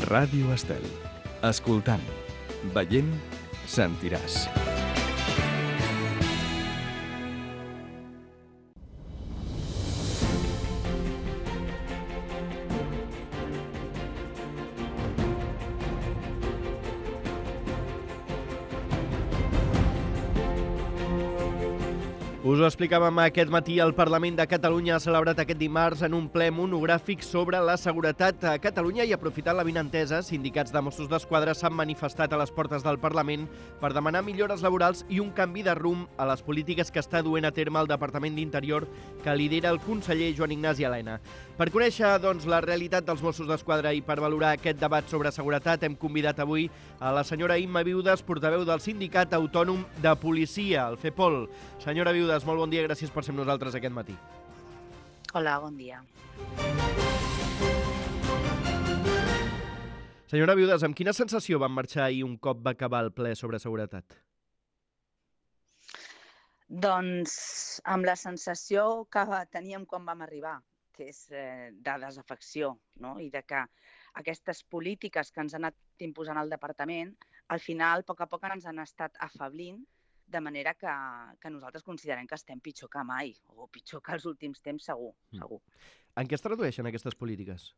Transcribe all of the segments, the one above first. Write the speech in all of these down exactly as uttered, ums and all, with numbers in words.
Ràdio Estel. Escoltant, veient, sentiràs. Us ho explicàvem aquest matí, el Parlament de Catalunya ha celebrat aquest dimarts en un ple monogràfic sobre la seguretat a Catalunya i, aprofitant l'avinentesa, sindicats de Mossos d'Esquadra s'han manifestat a les portes del Parlament per demanar millores laborals i un canvi de rumb a les polítiques que està duent a terme el Departament d'Interior que lidera el conseller Joan Ignasi Elena. Per conèixer, doncs, la realitat dels Mossos d'Esquadra i per valorar aquest debat sobre seguretat hem convidat avui a la senyora Imma Viudes, portaveu del Sindicat Autònom de Policia, el FEPOL. Senyora Viudes, molt bon dia, gràcies per ser amb nosaltres aquest matí. Hola, bon dia. Senyora Viudes, amb quina sensació van marxar ahir un cop va acabar el ple sobre seguretat? Doncs amb la sensació que teníem quan vam arribar, que és eh, de desafecció, no? I de que aquestes polítiques que ens han anat imposant el departament, al final, a poc a poc ens han estat afablint, de manera que, que nosaltres considerem que estem pitjor que mai, o pitjor que els últims temps, segur. segur. En què es tradueixen aquestes polítiques?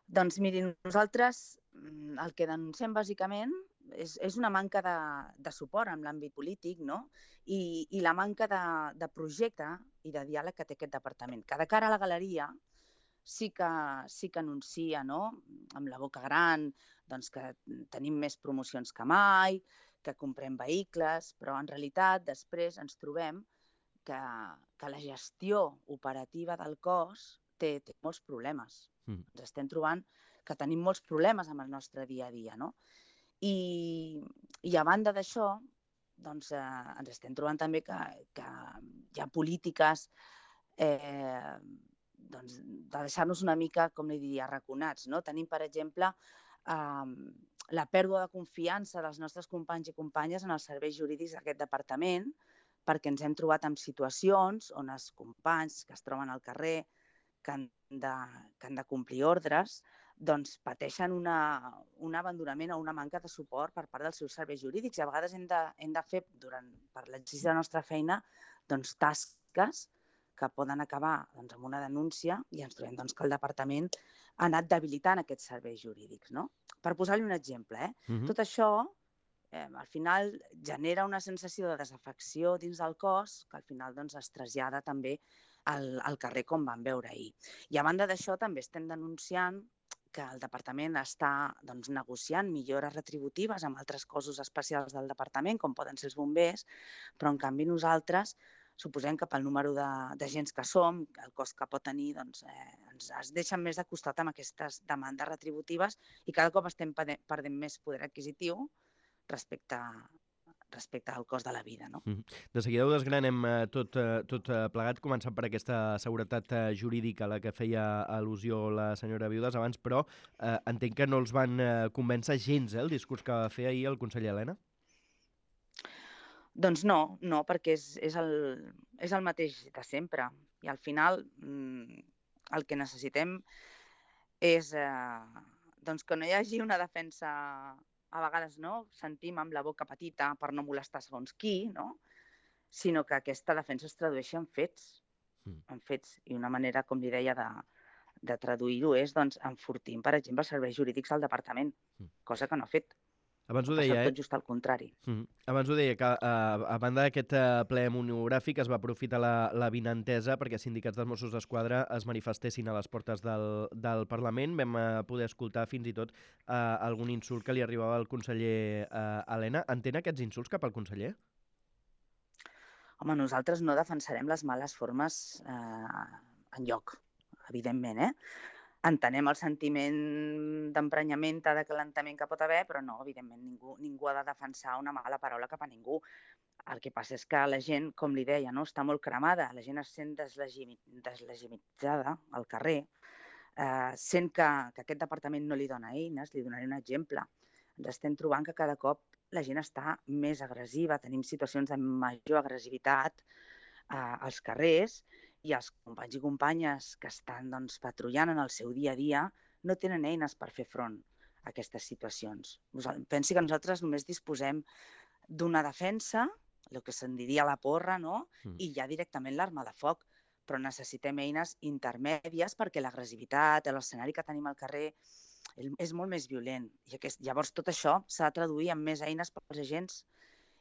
Doncs mirin, nosaltres el que denunciem bàsicament és, és una manca de, de suport en l'àmbit polític, no? I, i la manca de, de projecte i de diàleg que té aquest departament. Que de cara a la galeria sí que, sí que anuncia, no?, amb la boca gran, doncs que tenim més promocions que mai, que comprem vehicles, però en realitat després ens trobem que, que la gestió operativa del cos té, té molts problemes. Mm. Ens estem trobant que tenim molts problemes amb el nostre dia a dia, no? I, i a banda d'això, doncs, eh, ens estem trobant també que, que hi ha polítiques eh, doncs, de deixar-nos una mica, com li diria, arraconats, no? Tenim, per exemple, eh, la pèrdua de confiança dels nostres companys i companyes en els serveis jurídics d'aquest departament, perquè ens hem trobat en situacions on els companys que es troben al carrer, que han de, que han de complir ordres, doncs pateixen una, un abandonament o una manca de suport per part dels seus serveis jurídics. I a vegades hem de, hem de fer, durant, per l'exercici de la nostra feina, doncs, tasques que poden acabar doncs, amb una denúncia i ens trobem doncs, que el departament ha anat debilitant aquests serveis jurídics, no? Per posar-li un exemple, eh? Uh-huh. Tot això, eh, al final, genera una sensació de desafecció dins del cos que al final doncs, es trasllada també al, al carrer com vam veure ahir. I a banda d'això també estem denunciant que el departament està doncs, negociant millores retributives amb altres cossos especials del departament, com poden ser els bombers, però en canvi nosaltres suposem que pel número d'agents que som, el cost que pot tenir, doncs, eh, ens es deixen més de costat amb aquestes demandes retributives i cada cop estem perdent més poder adquisitiu respecte, respecte al cost de la vida. No? De seguida ho desgranem tot, tot plegat, començant per aquesta seguretat jurídica a la que feia al·lusió la senyora Viudes abans, però eh, entenc que no els van convèncer gens eh, el discurs que va fer ahir el conseller Elena? Doncs no, no, perquè és, és, el, és el mateix de sempre. I al final mmm, el que necessitem és eh, doncs que no hi hagi una defensa, a vegades no, sentim amb la boca petita per no molestar segons qui, no? Sinó que aquesta defensa es tradueixi en fets. Mm. En fets. I una manera, com li deia, de, de traduir-ho és doncs, enfortint, per exemple, els serveis jurídics del departament, mm. cosa que no ha fet. Abans ho deia, tot just al contrari. Mm. Abans ho deia, que uh, a banda d'aquest uh, ple monogràfic es va aprofitar l'avinentesa perquè sindicats dels Mossos d'Esquadra es manifestessin a les portes del, del Parlament. Vam uh, poder escoltar fins i tot uh, algun insult que li arribava al conseller uh, Elena. Entén aquests insults cap al conseller? Home, nosaltres no defensarem les males formes eh, enlloc, evidentment, eh? Entenem el sentiment d'emprenyament, d'acalentament que pot haver, però no, evidentment, ningú, ningú ha de defensar una mala paraula cap a ningú. El que passa és que la gent, com li deia, no, està molt cremada, la gent es sent deslegitimitzada al carrer, eh, sent que, que aquest departament no li dona eines. Li donaré un exemple. Ens estem trobant que cada cop la gent està més agressiva, tenim situacions de major agressivitat eh, als carrers, i els companys i companyes que estan doncs, patrullant en el seu dia a dia no tenen eines per fer front a aquestes situacions. Pensi que nosaltres només disposem d'una defensa, el que se'n diria la porra, no? I ja directament l'arma de foc, però necessitem eines intermèdies perquè l'agressivitat, l'escenari que tenim al carrer és molt més violent. I aquest, llavors tot això s'ha de traduir en més eines pels agents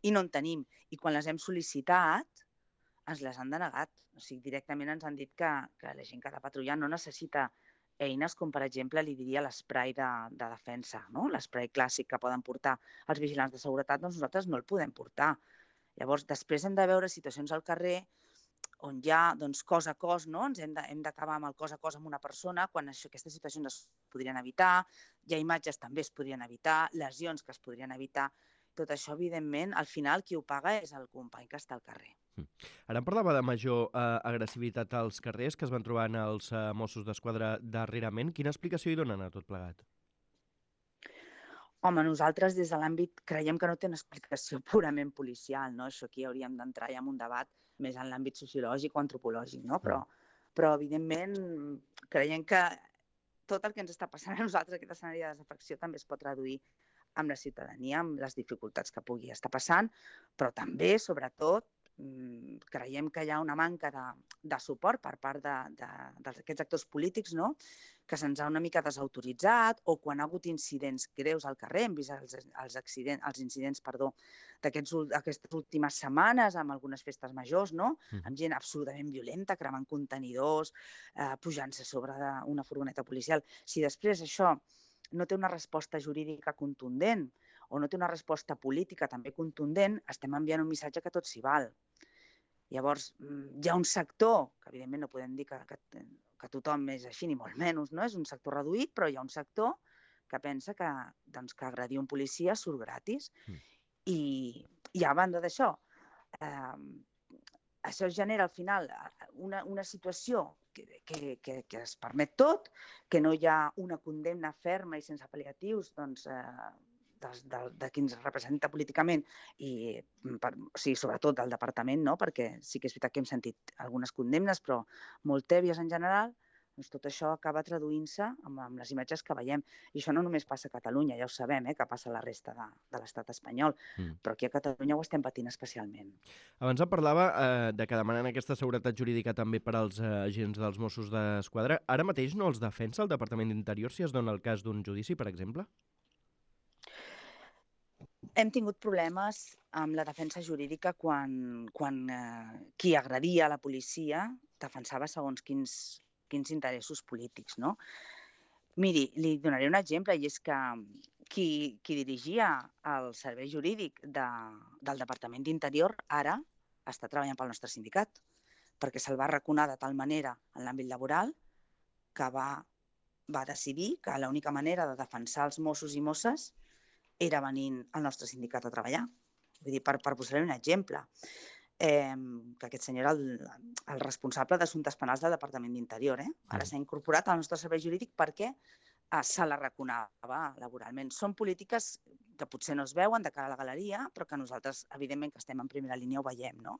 i no en tenim. I quan les hem sol·licitat, ens les han denegat. O sigui, directament ens han dit que, que la gent que ha de patrullar no necessita eines com, per exemple, li diria l'esprai de, de defensa, no? L'esprai clàssic que poden portar els vigilants de seguretat, doncs nosaltres no el podem portar. Llavors, després hem de veure situacions al carrer on hi ha doncs, cos a cos, no? Ens hem, de, hem d'acabar amb el cos a cos amb una persona, quan això, aquestes situacions es podrien evitar, hi ha imatges també es podrien evitar, lesions que es podrien evitar. Tot això, evidentment, al final qui ho paga és el company que està al carrer. Ara em parlava de major eh, agressivitat als carrers que es van trobant els eh, Mossos d'Esquadra darrerament. Quina explicació hi donen a tot plegat? Home, nosaltres des de l'àmbit creiem que no té una explicació purament policial, no? Això aquí hauríem d'entrar ja en un debat més en l'àmbit sociològic o antropològic, no? Però, però evidentment, creiem que tot el que ens està passant a nosaltres, aquest escenari de desafecció, també es pot traduir amb la ciutadania, amb les dificultats que pugui estar passant, però també, sobretot, creiem que hi ha una manca de, de suport per part d'aquests actors polítics, no? Que se'ns ha una mica desautoritzat, o quan ha hagut incidents greus al carrer, hem vist els, els, accidents, els incidents d'aquestes últimes setmanes amb algunes festes majors, no? Amb gent absolutament violenta, cremant contenidors, eh, pujant-se sobre una furgoneta policial. Si després això no té una resposta jurídica contundent o no té una resposta política també contundent, estem enviant un missatge que tot s'hi val. Llavors, hi ha un sector, que evidentment no podem dir que, que, que tothom és així, ni molt menys, no? És un sector reduït, però hi ha un sector que pensa que, doncs, que agredir un policia surt gratis. Mm. I, I a banda d'això, eh, això genera al final una, una situació que, que, que, que es permet tot, que no hi ha una condemna ferma i sense pal·liatius, doncs, eh, de, de, de qui ens representa políticament i, per, o sigui, sobretot del departament, no? Perquè sí que és veritat que hem sentit algunes condemnes, però molt tèbies en general, doncs tot això acaba traduint-se amb, amb les imatges que veiem. I això no només passa a Catalunya, ja ho sabem, eh, que passa a la resta de, de l'estat espanyol, mm. però aquí a Catalunya ho estem patint especialment. Abans em parlava eh, de que demanen aquesta seguretat jurídica també per als eh, agents dels Mossos d'Esquadra. Ara mateix no els defensa el Departament d'Interior si es dona el cas d'un judici, per exemple? Hem tingut problemes amb la defensa jurídica quan, quan eh, qui agredia la policia defensava segons quins, quins interessos polítics, no? Miri, li donaré un exemple, i és que qui, qui dirigia el servei jurídic de, del Departament d'Interior ara està treballant pel nostre sindicat, perquè se'l va arraconar de tal manera en l'àmbit laboral que va, va decidir que l'única manera de defensar els Mossos i Mosses era venint al nostre sindicat a treballar. Vull dir, per, per posar-li un exemple, eh, que aquest senyor era el, el responsable d'assumptes penals del Departament d'Interior. Eh? Ara s'ha incorporat al nostre servei jurídic perquè eh, se l'arraconava laboralment. Són polítiques que potser no es veuen de cara a la galeria, però que nosaltres, evidentment, que estem en primera línia, ho veiem, no?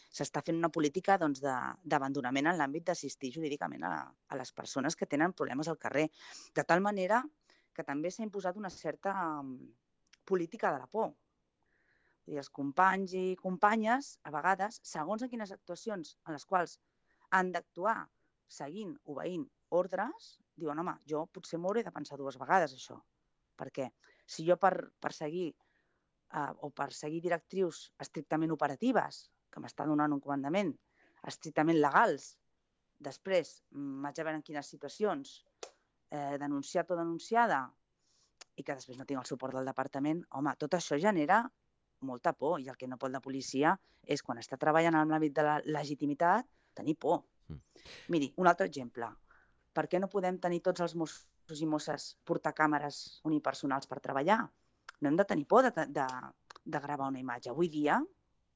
S'està fent una política doncs, d'abandonament en l'àmbit d'assistir jurídicament a, a les persones que tenen problemes al carrer, de tal manera que també s'ha imposat una certa um, política de la por. Vull dir, els companys i companyes, a vegades, segons en quines actuacions en les quals han d'actuar seguint, obeint ordres, diuen, home, jo potser m'ho hauré de pensar dues vegades, això. Perquè si jo per, per seguir uh, o per seguir directrius estrictament operatives, que m'està donant un comandament, estrictament legals, després m'haig de veure en quines situacions Eh, denunciat o denunciada i que després no tinc el suport del departament, home, tot això genera molta por i el que no pot la policia és quan està treballant en l'àmbit de la legitimitat tenir por. Mm. Miri, un altre exemple. Per què no podem tenir tots els Mossos i Mosses portar càmeres unipersonals per treballar? No hem de tenir por de, de, de gravar una imatge. Avui dia,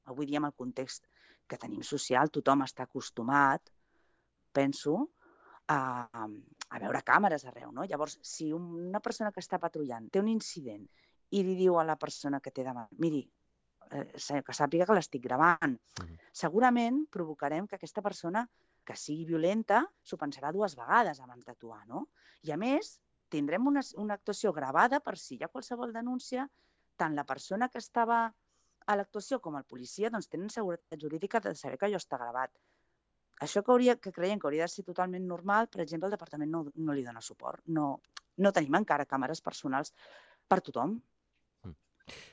avui dia amb el context que tenim social, tothom està acostumat, penso, A, a veure càmeres arreu, no? Llavors, si una persona que està patrullant té un incident i li diu a la persona que té davant, miri, eh, que sàpiga que l'estic gravant, uh-huh. segurament provocarem que aquesta persona que sigui violenta s'ho pensarà dues vegades abans d'actuar, no? I a més, tindrem una, una actuació gravada per si hi ha qualsevol denúncia, tant la persona que estava a l'actuació com el policia doncs tenen seguretat jurídica de saber que allò està gravat. Això que, hauria, que creiem que hauria de ser totalment normal, per exemple, el departament no, no li dona suport. No, no tenim encara càmeres personals per tothom. Mm.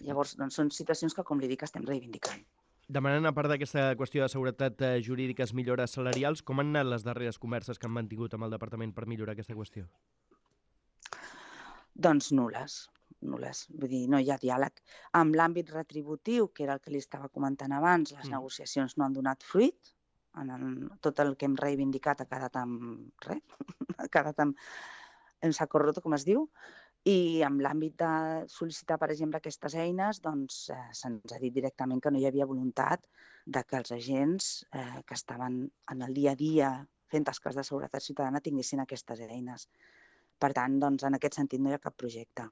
Llavors, doncs, són situacions que, com li dic, estem reivindicant. Demanant, a part d'aquesta qüestió de seguretat eh, jurídica, millores salarials, com han anat les darreres converses que han mantingut amb el departament per millorar aquesta qüestió? Doncs nules, nules. Vull dir, no hi ha diàleg. Amb l'àmbit retributiu, que era el que li estava comentant abans, les mm. negociacions no han donat fruit. En el, tot el que hem reivindicat ha quedat amb res, ha quedat amb, en saco roto, com es diu. I amb l'àmbit de sol·licitar, per exemple, aquestes eines, doncs eh, se'ns ha dit directament que no hi havia voluntat de que els agents eh, que estaven en el dia a dia fent tasques de seguretat ciutadana tinguessin aquestes eines. Per tant, doncs, en aquest sentit no hi ha cap projecte.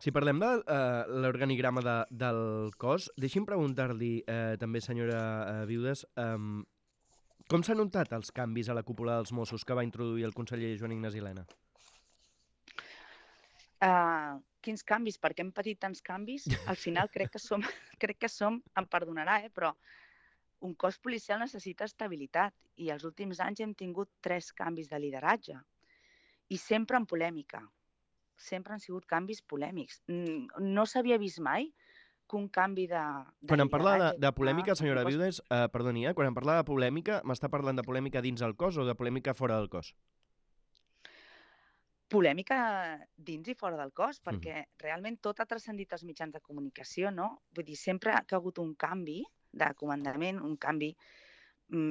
Si parlem de uh, l'organigrama de, del cos, deixi'm preguntar-li eh, també, senyora uh, Viudes, um, com s'han notat els canvis a la cúpula dels Mossos que va introduir el conseller Joan Ignasi Elena? Uh, quins canvis? Perquè hem patit tants canvis. Al final crec que som, crec que som, em perdonarà, eh, però un cos policial necessita estabilitat i els últims anys hem tingut tres canvis de lideratge i sempre en polèmica. Sempre han sigut canvis polèmics. No s'havia vist mai que un canvi de, de Quan em parla de, de lideratge... polèmica, senyora cos... Viudes, eh, perdoni, eh, quan em parla de polèmica, m'està parlant de polèmica dins el cos o de polèmica fora del cos? Polèmica dins i fora del cos, perquè mm. realment tot ha transcendit als mitjans de comunicació, no? Vull dir, sempre que ha hagut un canvi de comandament, un canvi,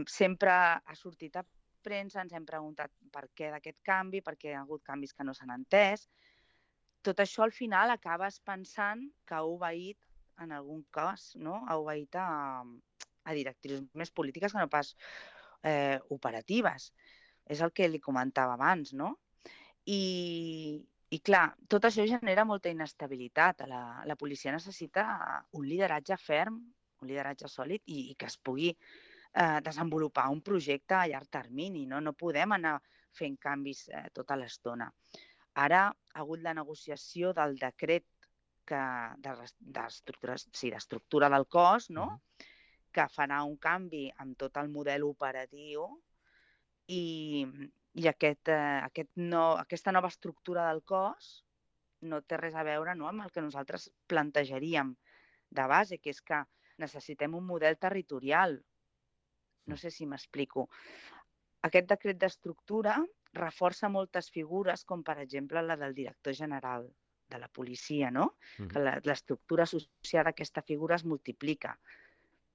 sempre ha sortit a premsa, ens hem preguntat per què d'aquest canvi, perquè hi ha hagut canvis que no s'han entès. Tot això al final acabes pensant que ha obeït, en algun cas, no? ha obeït a, a directrius més polítiques que no pas eh, operatives. És el que li comentava abans, no? I, i clar, tot això genera molta inestabilitat. La, la policia necessita un lideratge ferm, un lideratge sòlid i, i que es pugui eh, desenvolupar un projecte a llarg termini. No, no podem anar fent canvis eh, tota l'estona. Ara ha hagut la negociació del decret que, d'estructura de, sí, d'estructura del cos, no? Uh-huh. que farà un canvi amb tot el model operatiu i, i aquest, eh, aquest no, aquesta nova estructura del cos no té res a veure, no, amb el que nosaltres plantejaríem de base, que és que necessitem un model territorial. No sé si m'explico. Aquest decret d'estructura reforça moltes figures, com per exemple la del director general de la policia, no? Mm. Que l'estructura associada a aquesta figura es multiplica.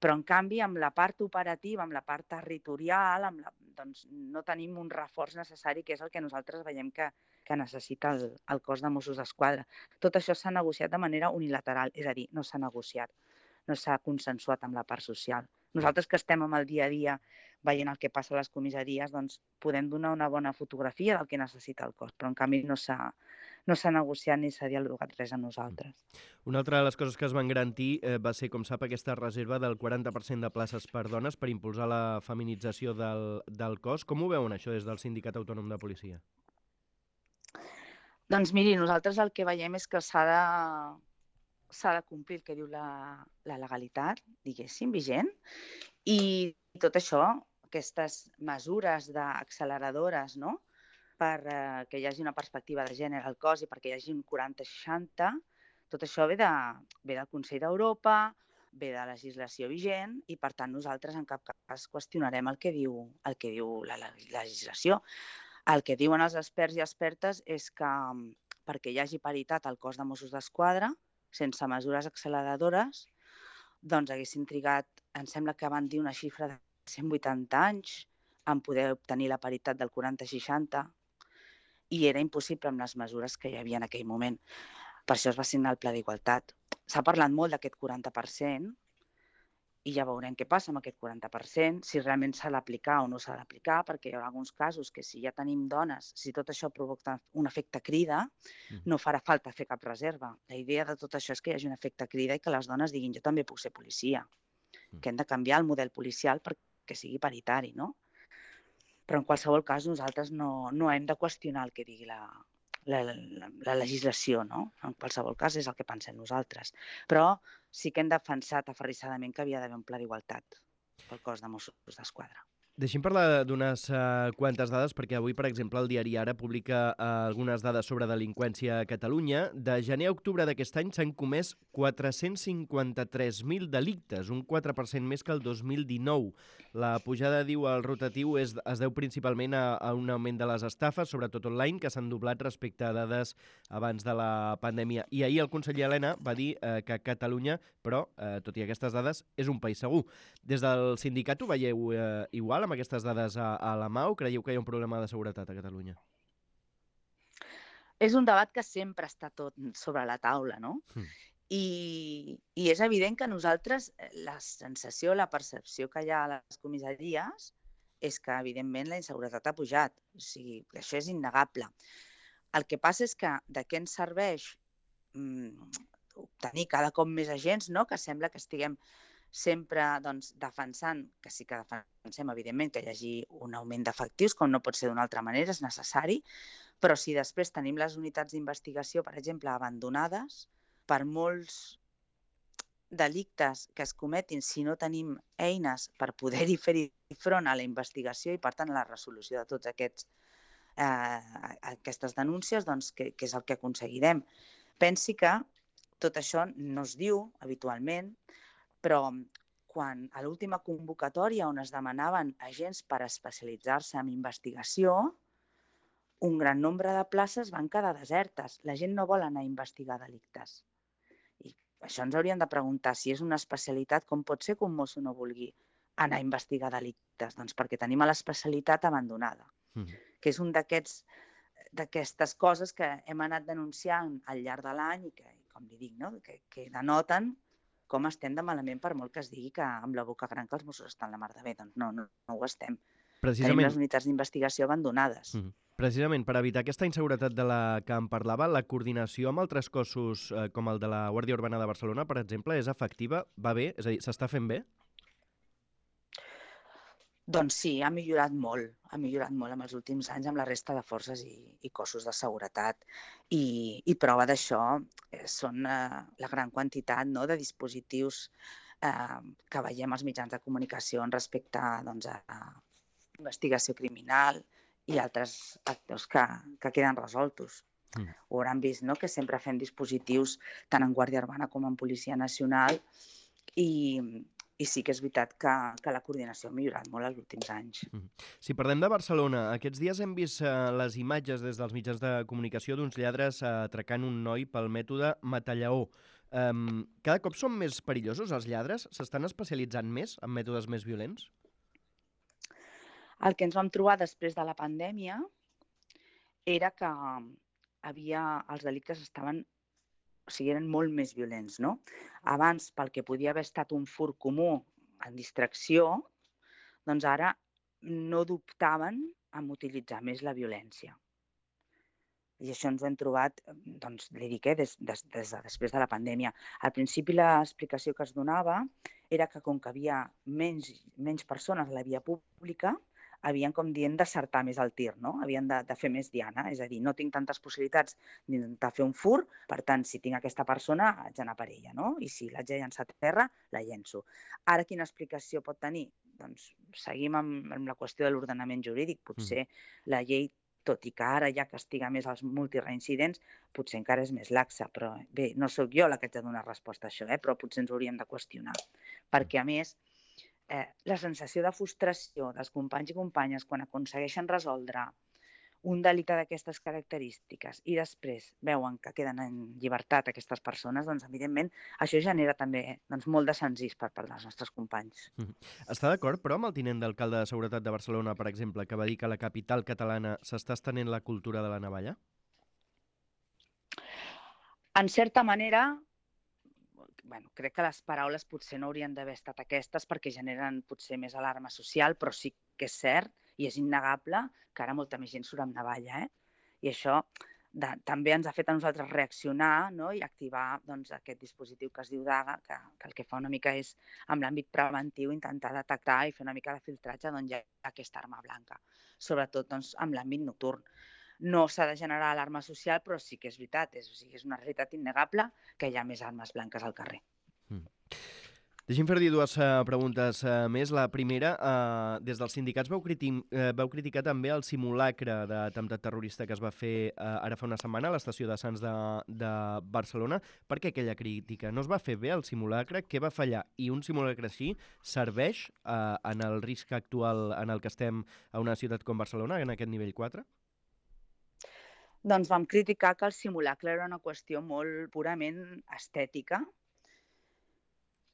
Però, en canvi, amb la part operativa, amb la part territorial, amb la, doncs, no tenim un reforç necessari, que és el que nosaltres veiem que, que necessita el, el cos de Mossos d'Esquadra. Tot això s'ha negociat de manera unilateral, és a dir, no s'ha negociat, no s'ha consensuat amb la part social. Nosaltres que estem amb el dia a dia veient el que passa a les comissaries, doncs podem donar una bona fotografia del que necessita el cos, però en canvi no s'ha no s'ha negociat ni s'ha dialogat res amb nosaltres. Una altra de les coses que es van garantir eh, va ser, com sap, aquesta reserva del quaranta per cent de places per dones per impulsar la feminització del, del cos. Com ho veuen això des del Sindicat Autònom de Policia? Doncs miri, nosaltres el que veiem és que s'ha de s'ha de complir el que diu la, la legalitat, diguéssim, vigent, i tot això, aquestes mesures d'acceleradores, no?, per eh, que hi hagi una perspectiva de gènere al cos i perquè hi hagi un quaranta seixanta, tot això ve, de, ve del Consell d'Europa, ve de legislació vigent i, per tant, nosaltres en cap cas qüestionarem el que diu, el que diu la, la legislació. El que diuen els experts i expertes és que perquè hi hagi paritat al cos de Mossos d'Esquadra, sense mesures acceleradores, doncs haguessin trigat, em sembla que van dir una xifra de cent vuitanta anys en poder obtenir la paritat del quaranta seixanta i era impossible amb les mesures que hi havia en aquell moment. Per això es va signar el Pla d'Igualtat. S'ha parlat molt d'aquest quaranta per cent i ja veurem què passa amb aquest quaranta per cent, si realment s'ha d'aplicar o no s'ha d'aplicar, perquè hi haurà alguns casos que si ja tenim dones, si tot això provoca un efecte crida, no farà falta fer cap reserva. La idea de tot això és que hi hagi un efecte crida i que les dones diguin jo també puc ser policia, que hem de canviar el model policial perquè sigui paritari, no? Però en qualsevol cas nosaltres no, no hem de qüestionar el que digui la, la, la, la legislació, no? En qualsevol cas és el que pensem nosaltres. Però sí que hem defensat aferrissadament que havia d'haver un pla d'igualtat pel cos de Mossos d'Esquadra. Deixi'm parlar d'unes uh, quantes dades, perquè avui, per exemple, el diari Ara publica uh, algunes dades sobre delinqüència a Catalunya. De gener a octubre d'aquest any s'han comès quatre-cents cinquanta-tres mil delictes, un quatre per cent més que el dos mil dinou. La pujada, diu el rotatiu, és, es deu principalment a, a un augment de les estafes, sobretot online, que s'han doblat respecte a dades abans de la pandèmia. I ahir el conseller Elena va dir uh, que Catalunya, però, uh, tot i aquestes dades, és un país segur. Des del sindicat ho veieu uh, igual, amb aquestes dades a, a la mà, o creieu que hi ha un problema de seguretat a Catalunya? És un debat que sempre està tot sobre la taula, no? Mm. I, I és evident que nosaltres, la sensació, la percepció que hi ha a les comissaries és que, evidentment, la inseguretat ha pujat. O sigui, això és innegable. El que passa és que de què ens serveix mm, obtenir cada cop més agents, no? Que sembla que estiguem sempre doncs, defensant, que sí que defensem, evidentment, que hi hagi un augment d'efectius, com no pot ser d'una altra manera, és necessari, però si després tenim les unitats d'investigació, per exemple, abandonades, per molts delictes que es cometin, si no tenim eines per poder-hi fer-hi front a la investigació i, per tant, a la resolució de tots aquests eh, aquestes denúncies, doncs, que, que és el que aconseguirem. Pensi que tot això no es diu habitualment, però quan a l'última convocatòria on es demanaven agents per especialitzar-se en investigació, un gran nombre de places van quedar desertes. La gent no vol anar a investigar delictes. I això ens hauríem de preguntar si és una especialitat, com pot ser que un mosso no vulgui anar a investigar delictes? Doncs perquè tenim l'especialitat abandonada, mm. que és un d'aquests d'aquestes coses que hem anat denunciant al llarg de l'any i que, com li dic, no? que, que denoten com estem de malament, per molt que es digui que amb la boca gran que els Mossos estan la mar de bé. Doncs no, no, no ho estem. Tenim les unitats d'investigació abandonades. Mm. Precisament per evitar aquesta inseguretat de la que em parlava, la coordinació amb altres cossos eh, com el de la Guàrdia Urbana de Barcelona, per exemple, és efectiva? Va bé? És a dir, s'està fent bé? Doncs sí, ha millorat molt, ha millorat molt en els últims anys amb la resta de forces i, i cossos de seguretat. I, i prova d'això eh, són eh, la gran quantitat, no, de dispositius eh, que veiem als mitjans de comunicació respecte doncs, a, a investigació criminal i altres actors que, que queden resoltos. Mm. Ho hauran vist, no?, que sempre fem dispositius tant en Guàrdia Urbana com en Policia Nacional i... I sí que és veritat que, que la coordinació ha millorat molt els últims anys. Si parlem de Barcelona, aquests dies hem vist uh, les imatges des dels mitjans de comunicació d'uns lladres uh, atracant un noi pel mètode mata-lleó. Um, cada cop són més perillosos els lladres? S'estan especialitzant més en mètodes més violents? El que ens vam trobar després de la pandèmia era que havia, els delictes estaven... o sigui, eren molt més violents, no? Abans, pel que podia haver estat un furt comú en distracció, doncs ara no dubtaven en utilitzar més la violència. I això ens ho hem trobat, doncs, li dic, eh, des, des, des de després de la pandèmia. Al principi l'explicació que es donava era que com que havia menys, menys persones a la via pública, havien, com dient, d'acertar més el tir, no? Havien de, de fer més diana, és a dir, no tinc tantes possibilitats d'intentar fer un furt, per tant, si tinc aquesta persona, haig d'anar per ella, no? I si l'haig de llançar a terra, la llenço. Ara, quina explicació pot tenir? Doncs seguim amb, amb la qüestió de l'ordenament jurídic. Potser mm. la llei, tot i que ara ja castiga més els multireincidents, potser encara és més laxa, però bé, no sóc jo la que haig de donar resposta a això, eh? Però potser ens hauríem de qüestionar. Perquè, a més, Eh, la sensació de frustració dels companys i companyes quan aconsegueixen resoldre un delicte d'aquestes característiques i després veuen que queden en llibertat aquestes persones, doncs, evidentment, això genera també doncs, molt de sensís per part dels nostres companys. Mm-hmm. Està d'acord, però, amb el tinent d'alcalde de Seguretat de Barcelona, per exemple, que va dir que a la capital catalana s'està estenent la cultura de la navalla? En certa manera... Bueno, crec que les paraules potser no haurien d'haver estat aquestes perquè generen potser més alarma social, però sí que és cert i és innegable que ara molta més gent surt amb navalla, eh? I això de, també ens ha fet a nosaltres reaccionar, no? I activar doncs, aquest dispositiu que es diu DAGA, que, que el que fa una mica és, amb l'àmbit preventiu, intentar detectar i fer una mica de filtratge d'on hi ha aquesta arma blanca, sobretot doncs, amb l'àmbit nocturn. No s'ha de generar alarma social, però sí que és veritat, és, o sigui, és una realitat innegable que hi ha més armes blanques al carrer. Mm. Deixi'm fer-li dues uh, preguntes uh, més. La primera, uh, des dels sindicats vau, criti uh, vau criticar també el simulacre d'atemptat terrorista que es va fer uh, ara fa una setmana a l'estació de Sants de, de Barcelona. Per què aquella crítica? No es va fer bé el simulacre? Què va fallar? I un simulacre així serveix uh, en el risc actual en el que estem a una ciutat com Barcelona, en aquest nivell quatre? Doncs vam criticar que el simulacre era una qüestió molt purament estètica,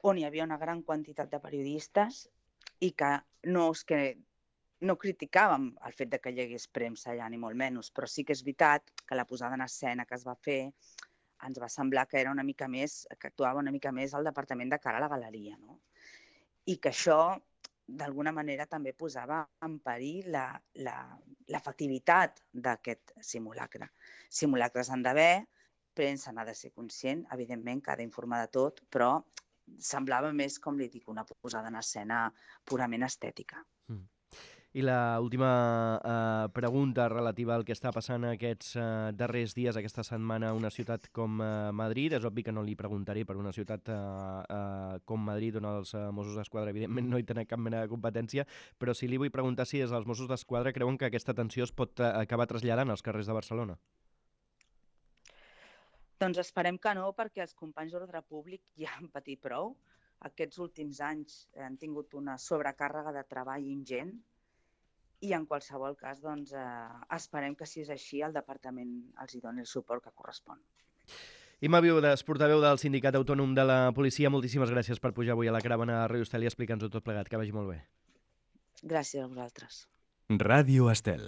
on hi havia una gran quantitat de periodistes i que no és que no criticàvem el fet de que hi hagués premsa allà, ni molt menys, però sí que és veritat que la posada en escena que es va fer ens va semblar que era una mica més, que actuava una mica més al departament de cara a la galeria, no? I que això, d'alguna manera, també posava en perill l'efectivitat d'aquest simulacre. Simulacres han d'haver, premsa n'ha de ser conscient, evidentment que ha d'informar de tot, però semblava més, com li dic, una posada en escena purament estètica. Mm. I l'última uh, pregunta relativa al que està passant aquests uh, darrers dies, aquesta setmana, a una ciutat com uh, Madrid. És obvi que no li preguntaré per una ciutat uh, uh, com Madrid, on els uh, Mossos d'Esquadra, evidentment, no hi tenen cap mena de competència, però sí li vull preguntar si des dels Mossos d'Esquadra creuen que aquesta tensió es pot uh, acabar traslladant als carrers de Barcelona. Doncs esperem que no, perquè els companys d'ordre públic ja han patit prou. Aquests últims anys han tingut una sobrecàrrega de treball ingent i en qualsevol cas doncs, eh, esperem que si és així el departament els hi doni el suport que correspon. Imma Viudes, portaveu del Sindicat Autònom de la Policia, moltíssimes gràcies per pujar avui a la caravana a Ràdio Estel i explicar-nos-ho tot plegat. Que vagi molt bé. Gràcies a vosaltres. Ràdio Estel.